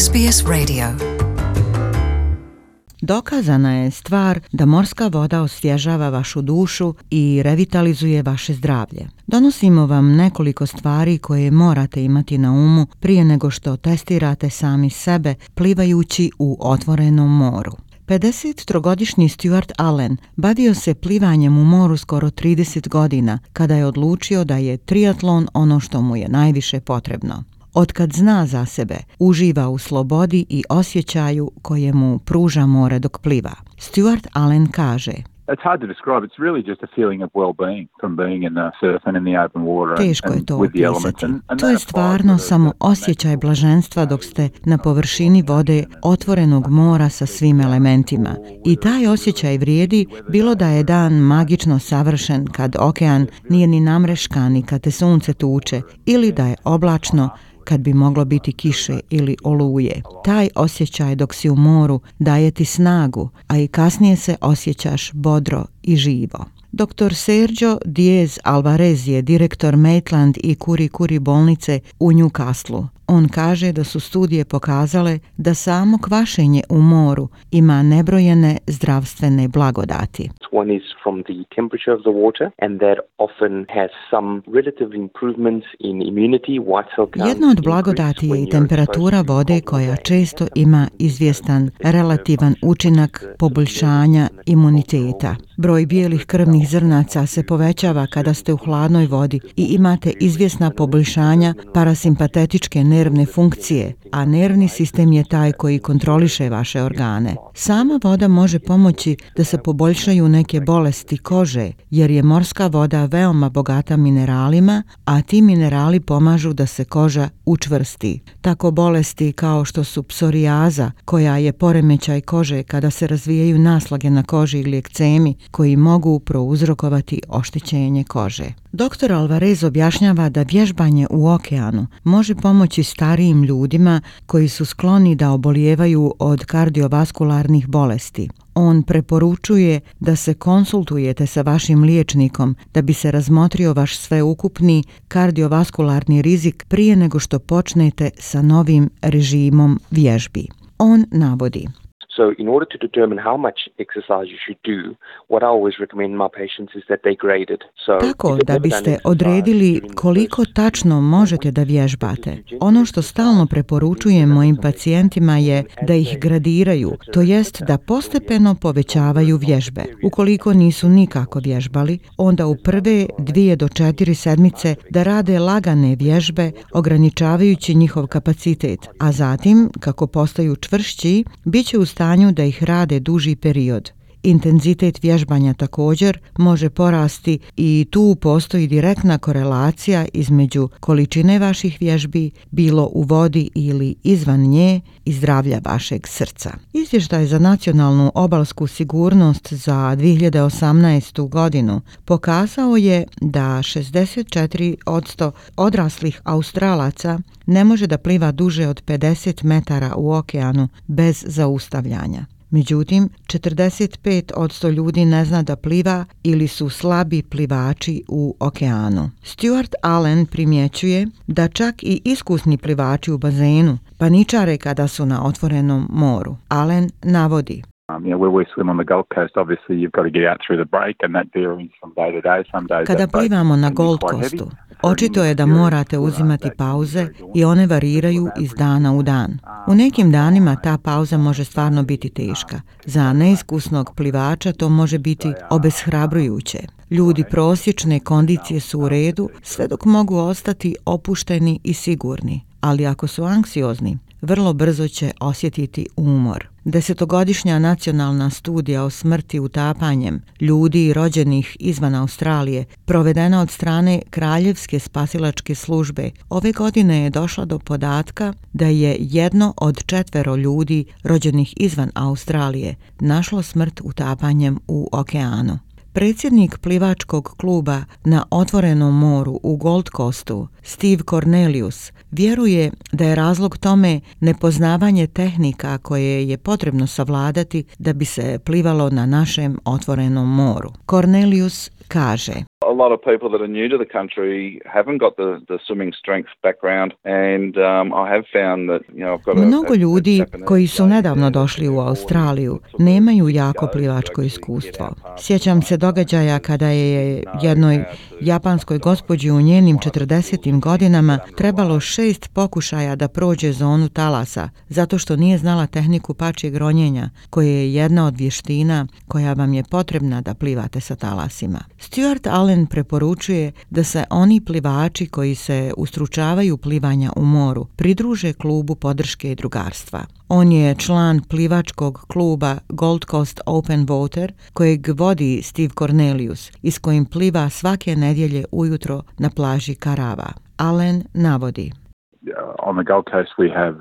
SBS Radio. Dokazana je stvar da morska voda osvježava vašu dušu i revitalizuje vaše zdravlje. Donosimo vam nekoliko stvari koje morate imati na umu prije nego što testirate sami sebe plivajući u otvorenom moru. 53-godišnji Stuart Allen bavio se plivanjem u moru skoro 30 godina kada je odlučio da je triatlon ono što mu je najviše potrebno. Otkad zna za sebe, uživa u slobodi i osjećaju koje mu pruža more dok pliva. Stuart Allen kaže: It's hard to describe. It's really just a feeling of well-being from being in the surf and in the open water. Teško je to with the opisati. elements. To je stvarno samo osjećaj blaženstva dok ste na površini vode otvorenog mora sa svim elementima. I taj osjećaj vrijedi bilo da je dan magično savršen kad okean nije ni namreškan i kad te sunce tuče, ili da je oblačno kad bi moglo biti kiše ili oluje. Taj osjećaj dok si u moru daje ti snagu, a i kasnije se osjećaš bodro i živo. Dr. Sergio Diez Alvarez je direktor Maitland i Kuri Kuri bolnice u Newcastlu. On kaže da su studije pokazale da samo kvašenje u moru ima nebrojene zdravstvene blagodati. One is from the temperature of the water, and that often has some relative improvements in immunity, white cell count. Jedna od blagodati je i temperatura vode koja često ima izvjestan relativan učinak poboljšanja imuniteta. Broj bijelih krvnih zrnaca se povećava kada ste u hladnoj vodi i imate izvjesna poboljšanja parasimpatetičke nervne funkcije, a nervni sistem je taj koji kontroliše vaše organe. Sama voda može pomoći da se poboljšaju neke bolesti kože, jer je morska voda veoma bogata mineralima, a ti minerali pomažu da se koža učvrsti. Tako bolesti kao što su psorijaza, koja je poremećaj kože kada se razvijaju naslage na koži ili ekcemi, koji mogu prouzrokovati oštećenje kože. Dr. Alvarez objašnjava da vježbanje u okeanu može pomoći starijim ljudima koji su skloni da obolijevaju od kardiovaskularnih bolesti. On preporučuje da se konsultujete sa vašim liječnikom da bi se razmotrio vaš sveukupni kardiovaskularni rizik prije nego što počnete sa novim režimom vježbi. On navodi: So in order to determine how much exercise you should do, what I always recommend my patients is that they grade it. Tako da biste odredili koliko tačno možete da vježbate. Ono što stalno preporučujem mojim pacijentima je da ih gradiraju, to jest da postepeno povećavaju vježbe. Ukoliko nisu nikako vježbali, onda u prve 2 do 4 sedmice da rade lagane vježbe, ograničavajući njihov kapacitet, a zatim, kako postaju čvršći, bit će u stanju da ih rade duži period. Intenzitet vježbanja također može porasti i tu postoji direktna korelacija između količine vaših vježbi, bilo u vodi ili izvan nje, i zdravlja vašeg srca. Izvještaj za nacionalnu obalsku sigurnost za 2018. godinu pokazao je da 64% odraslih Australaca ne može da pliva duže od 50 metara u okeanu bez zaustavljanja. Međutim, 45% ljudi ne zna da pliva ili su slabi plivači u okeanu. Stuart Allen primjećuje da čak i iskusni plivači u bazenu paničare kada su na otvorenom moru. Allen navodi: Where we swim on the Gold Coast, obviously you've got to get out through the break, and that varies from day to day. Some days Kada plivamo na Gold Coastu, očito je da morate uzimati pauze i one variraju iz dana u dan. U nekim danima ta pauza može stvarno biti teška. Za neiskusnog plivača to može biti obeshrabrujuće. Ljudi prosječne kondicije su u redu sve dok mogu ostati opušteni i sigurni, ali ako su anksiozni, vrlo brzo će osjetiti umor. 10-godišnja nacionalna studija o smrti utapanjem ljudi rođenih izvan Australije, provedena od strane Kraljevske spasilačke službe, ove godine je došla do podatka da je 1 od 4 ljudi rođenih izvan Australije našlo smrt utapanjem u okeanu. Predsjednik plivačkog kluba na otvorenom moru u Gold Coastu, Steve Cornelius vjeruje da je razlog tome nepoznavanje tehnika koje je potrebno savladati da bi se plivalo na našem otvorenom moru. Cornelius kaže: A lot of people that are new to the country haven't got the swimming strength background, and I have found that I've got Mnogo ljudi koji su nedavno došli u Australiju nemaju jako plivačko iskustvo. Sjećam se događaja kada je jednoj japanskoj gospođi u njenim 40. godinama trebalo 6 pokušaja da prođe zonu talasa, zato što nije znala tehniku pačjeg ronjenja, koje je jedna od vještina koja vam je potrebna da plivate sa talasima. Stuart Allen preporučuje da se oni plivači koji se ustručavaju plivanja u moru pridruže klubu podrške i drugarstva. On je član plivačkog kluba Gold Coast Open Water kojeg vodi Steve Cornelius i s kojim pliva svake nedjelje ujutro na plaži Karava. Allen navodi: On the Gold Coast we have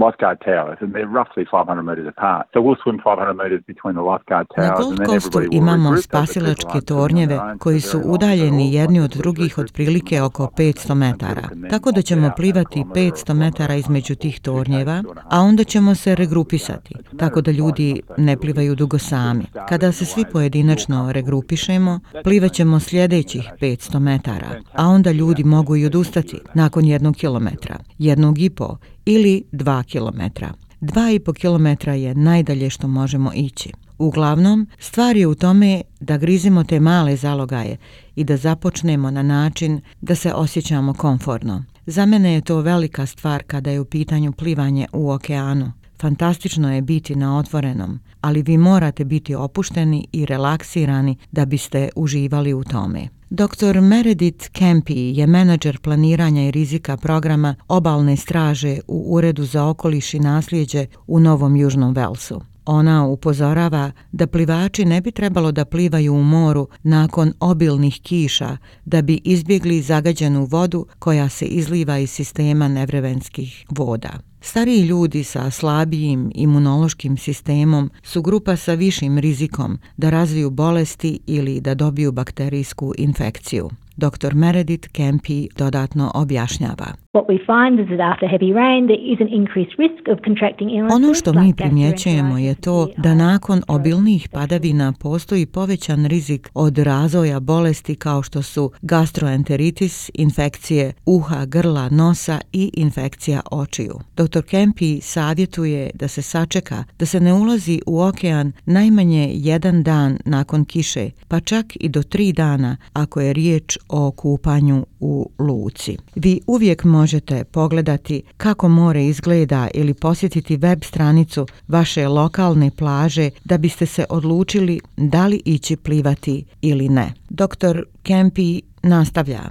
lifeguard towers and they're roughly 500 metres apart. So we'll swim 500 metres between the lifeguard towers. Na Gold Coastu imamo spasilačke tornjeve koji su udaljeni jedni od drugih otprilike oko 500 metara. Tako da ćemo plivati 500 metara između tih tornjeva, a onda ćemo se regrupisati, tako da ljudi ne plivaju dugo sami. Kada se svi pojedinačno regrupišemo, plivat ćemo sljedećih 500 metara, a onda ljudi mogu i odustati nakon 1 kilometra, 1,5 ili 2 kilometra. 2,5 kilometra je najdalje što možemo ići. Uglavnom, stvar je u tome da grizimo te male zalogaje i da započnemo na način da se osjećamo komfortno. Za mene je to velika stvar kada je u pitanju plivanje u okeanu. Fantastično je biti na otvorenom, ali vi morate biti opušteni i relaksirani da biste uživali u tome. Dr. Meredith Kempi je menadžer planiranja i rizika programa obalne straže u Uredu za okoliš i nasljeđe u Novom Južnom Velsu. Ona upozorava da plivači ne bi trebalo da plivaju u moru nakon obilnih kiša da bi izbjegli zagađenu vodu koja se izliva iz sistema nevremenskih voda. Stariji ljudi sa slabijim imunološkim sistemom su grupa sa višim rizikom da razviju bolesti ili da dobiju bakterijsku infekciju. Dr. Meredith Kempi dodatno objašnjava: Ono što mi primjećujemo je to da nakon obilnih padavina postoji povećan rizik od razvoja bolesti kao što su gastroenteritis, infekcije uha, grla, nosa i infekcija očiju. Dr. Kempi savjetuje da se sačeka, da se ne ulazi u okean najmanje 1 dan nakon kiše, pa čak i do 3 dana ako je riječ o kupanju u luci. Vi uvijek možete pogledati kako more izgleda ili posjetiti web stranicu vaše lokalne plaže da biste se odlučili da li ići plivati ili ne. Dr. Kempi nastavlja: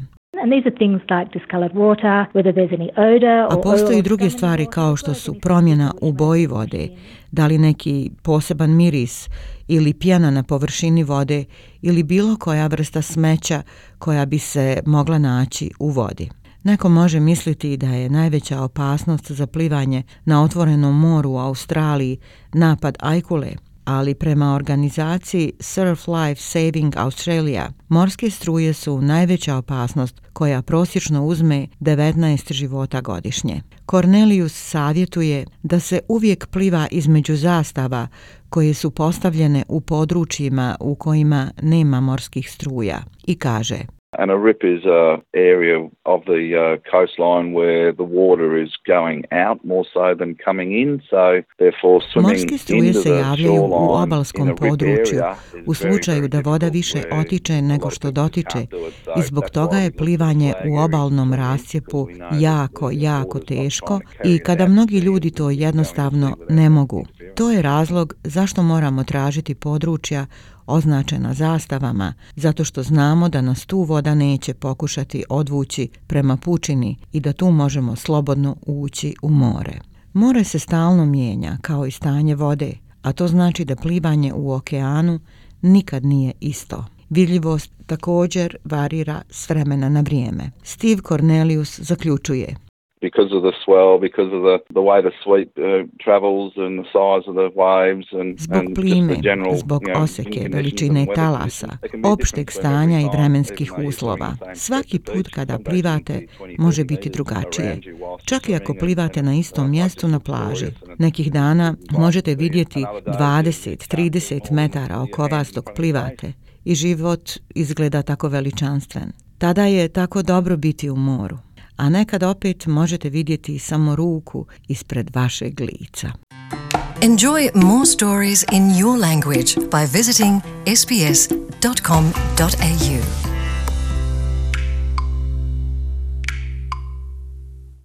A postoji druge stvari kao što su promjena u boji vode, da li neki poseban miris ili pjena na površini vode ili bilo koja vrsta smeća koja bi se mogla naći u vodi. Neko može misliti da je najveća opasnost za plivanje na otvorenom moru u Australiji napad ajkule, ali prema organizaciji Surf Life Saving Australia, morske struje su najveća opasnost koja prosječno uzme 19 života godišnje. Cornelius savjetuje da se uvijek pliva između zastava koje su postavljene u područjima u kojima nema morskih struja i kaže: And a rip is an area of the coastline where the water is going out more so than coming in, so therefore swimming morske struje into se the javljaju u shoreline obalskom in a rip području area u is slučaju da voda više otiče nego što dotiče i zbog toga je plivanje u obalnom rascjepu jako teško i kada mnogi ljudi to jednostavno ne mogu. To je razlog zašto moramo tražiti područja označena zastavama, zato što znamo da nas tu voda neće pokušati odvući prema pučini i da tu možemo slobodno ući u more. More se stalno mijenja kao i stanje vode, a to znači da plivanje u okeanu nikad nije isto. Vidljivost također varira s vremena na vrijeme. Steve Cornelius zaključuje: because of the swell, because of the way the sweep travels and the size of the waves and zbog plime, zbog oseke, veličine talasa, opšteg stanja i vremenskih uslova. Svaki put kada plivate može biti drugačije. Čak i ako plivate na istom mjestu na plaži. Nekih dana možete vidjeti 20-30 metara oko vas dok plivate i život izgleda tako veličanstven. Tada je tako dobro biti u moru, a nekad opet možete vidjeti samo ruku ispred vašeg lica. Enjoy more stories in your language by visiting sbs.com.au.